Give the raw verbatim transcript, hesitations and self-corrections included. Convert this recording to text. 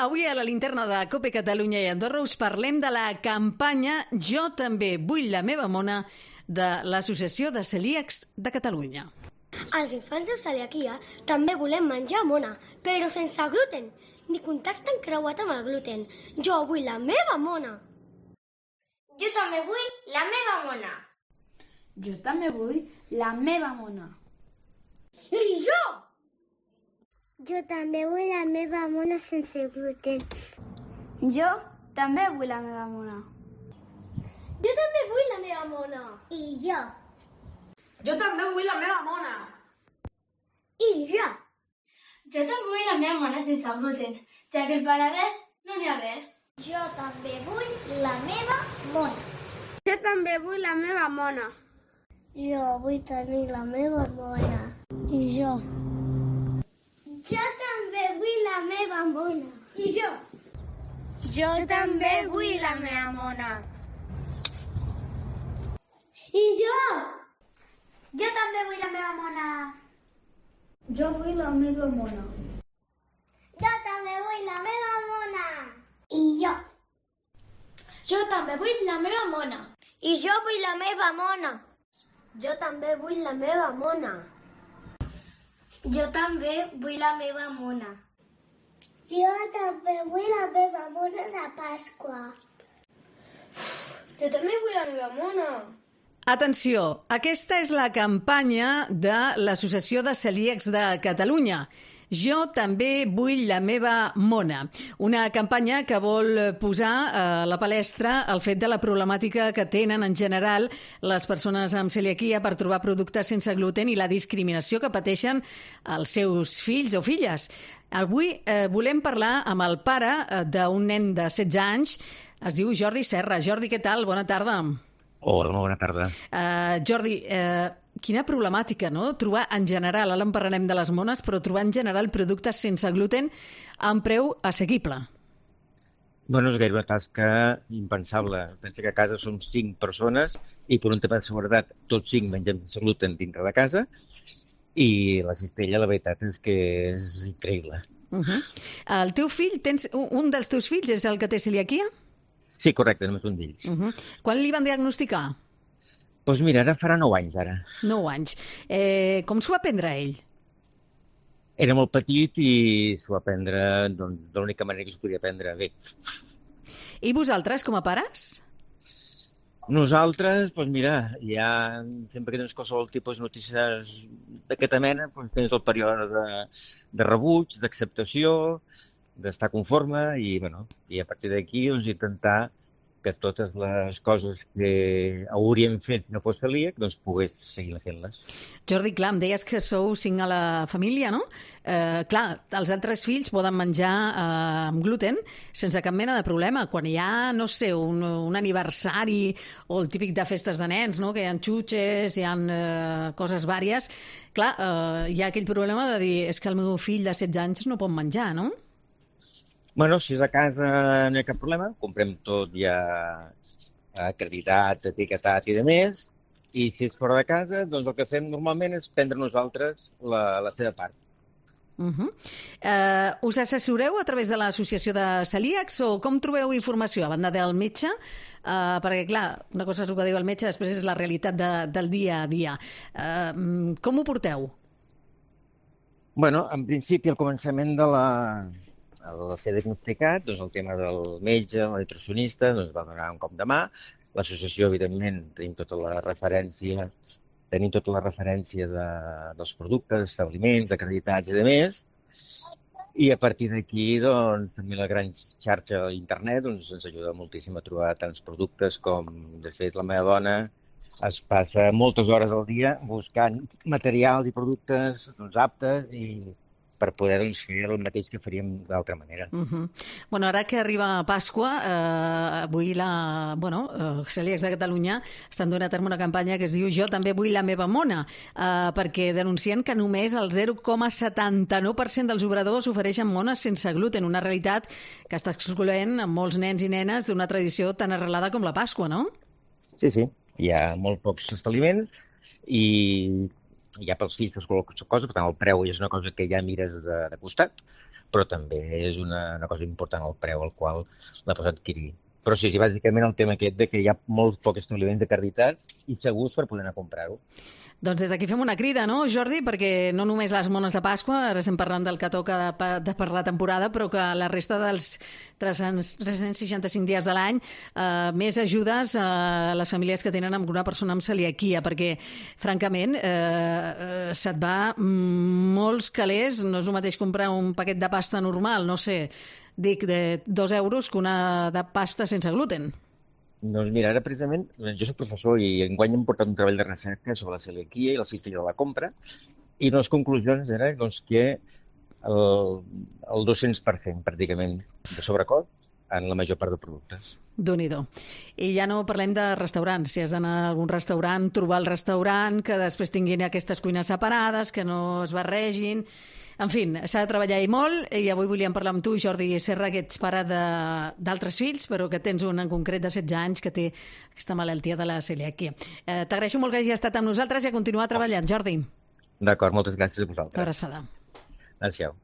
Avui a la linterna de COPE Catalunya i Andorra us parlem de la campanya Jo també vull la meva mona de l'Associació de Celíacs de Catalunya. Els infants de celiaquia també volem menjar mona, però sense gluten, ni contacte encreuat amb el gluten. Jo vull la meva mona. Jo també vull la meva mona. Jo també vull la meva mona. I jo! Jo també vull la meva mona sense gluten. Jo també vull la meva mona. Jo també vull la meva mona. I jo. Jo també vull la meva mona. I jo. Jo també vull la meva mona sense gluten, ja que al Penedès no n'hi ha res. Jo també vull la meva mona. Jo també vull la meva mona. Jo vull tenir la meva mona. I jo. Jo també vull la meva mona. I jo. Jo també vull la meva mona. I jo. Jo també vull la meva mona. Jo vull la meva mona. Jo també vull la meva mona. I jo. Jo també vull la meva mona. I jo vull la meva mona. Jo també vull la meva mona. Jo també vull la meva mona. Jo també vull la meva mona de Pasqua. Jo també vull la meva mona. Atenció, aquesta és la campanya de l'Associació de Celíacs de Catalunya. Jo també vull la meva mona. Una campanya que vol posar a la palestra el fet de la problemàtica que tenen en general les persones amb celiaquia per trobar productes sense gluten i la discriminació que pateixen els seus fills o filles. Avui eh, volem parlar amb el pare eh, d'un nen de setze anys. Es diu Jordi Serra. Jordi, què tal? Bona tarda. Hola, bona tarda. Uh, Jordi, uh, quina problemàtica, no? Trobar en general, ara en parlarem de les mones, però trobar en general productes sense gluten amb preu assequible. Bueno, és gairebé una tasca impensable. Pensa que a casa som cinc persones i per un tema de seguretat tots cinc mengem sense gluten dintre de casa i la cistella, la veritat és que és increïble. Uh -huh. El teu fill, tens, un dels teus fills és el que té celiaquia? Sí, correcte, només un d'ells. Uh -huh. Quan li van diagnosticar? Doncs mira, ara farà nou anys, ara. Nou anys. Eh, com s'ho va prendre ell? Era molt petit i s'ho va prendre doncs, de l'única manera que s'ho podia prendre bé. I vosaltres, com a pares? Nosaltres, doncs mira, ja sempre que tens qualsevol tipus de notícies d'aquesta mena, doncs tens el període de, de rebuig, d'acceptació, d'estar conforme i, bueno, i a partir d'aquí doncs, intentar que totes les coses que hauríem fet si no fos celíac, doncs pogués seguir fent-les. Jordi, clar, em deies que sou cinc a la família, no? Eh, clar, els altres fills poden menjar eh, amb gluten sense cap mena de problema. Quan hi ha, no sé, un, un aniversari o el típic de festes de nens, no? Que hi ha xutxes, hi ha eh, coses vàries, clar, eh, hi ha aquell problema de dir és que el meu fill de setze anys no pot menjar, no? Bueno, si és a casa no hi ha cap problema, comprem tot ja acreditat, etiquetat i de més, i si és fora de casa, doncs el que fem normalment és prendre nosaltres la, la seva part. Uh -huh. eh, us assessoreu a través de l'associació de celíacs o com trobeu informació? A banda del metge, eh, perquè clar, una cosa és el que diu el metge, després és la realitat de, del dia a dia. Eh, com ho porteu? Bueno, en principi, al començament de la... al ser diagnosticat, doncs el tema del metge, el nutricionista, doncs va donar un cop de mà. L'associació, evidentment, tenim tota la referència, tenim tota la referència de, dels productes, establiments, acreditats i de més. I a partir d'aquí, doncs, també la gran xarxa d'internet doncs, ens ajuda moltíssim a trobar tants productes com, de fet, la meva dona es passa moltes hores al dia buscant materials i productes doncs, aptes i per poder doncs, fer el mateix que faríem d'altra manera. Uh -huh. Bueno, ara que arriba Pasqua, eh, avui la, bueno, eh, Celíacs de Catalunya estan donant a terme una campanya que es diu Jo també vull la meva mona, eh, perquè denuncien que només el zero coma setanta-nou per cent dels obradors ofereixen mones sense gluten, una realitat que està excloent a molts nens i nenes d'una tradició tan arrelada com la Pasqua, no? Sí, sí. Hi ha molt pocs establiments i ja pels fills és qualsevol cosa, per tant el preu és una cosa que ja mires de, de costat, però també és una, una cosa important el preu al qual la pots adquirir. Però sí, sí, bàsicament el tema aquest de que hi ha molt pocs establiments acreditats i segurs per poder anar a comprar-ho. Doncs des d'aquí fem una crida, no, Jordi? Perquè no només les mones de Pasqua, ara estem parlant del que toca de, de per la temporada, però que la resta dels tres-cents seixanta-cinc dies de l'any eh, més ajudes a les famílies que tenen alguna persona amb celiaquia, perquè, francament, eh, eh, se't va molts calés. No és el mateix comprar un paquet de pasta normal, no sé, dic, de dos euros que una de pasta sense gluten. Doncs mira, ara precisament, jo soc professor i enguany hem portat un treball de recerca sobre la celiaquia i la cistella de la compra, i una de les conclusions era doncs, que el, el dos-cents per cent pràcticament de sobrecost en la major part de productes. Déu-n'hi-do. I ja no parlem de restaurants. Si has d'anar a algun restaurant, trobar el restaurant, que després tinguin aquestes cuines separades, que no es barregin. En fi, s'ha de treballar i molt, i avui volíem parlar amb tu, Jordi Serra, que ets pare d'altres fills, però que tens un en concret de setze anys que té aquesta malaltia de la celiaquia. Eh, T'agraeixo molt que hagi estat amb nosaltres i a continuar treballant, Jordi. D'acord, moltes gràcies a vosaltres. Una abraçada. Adéu.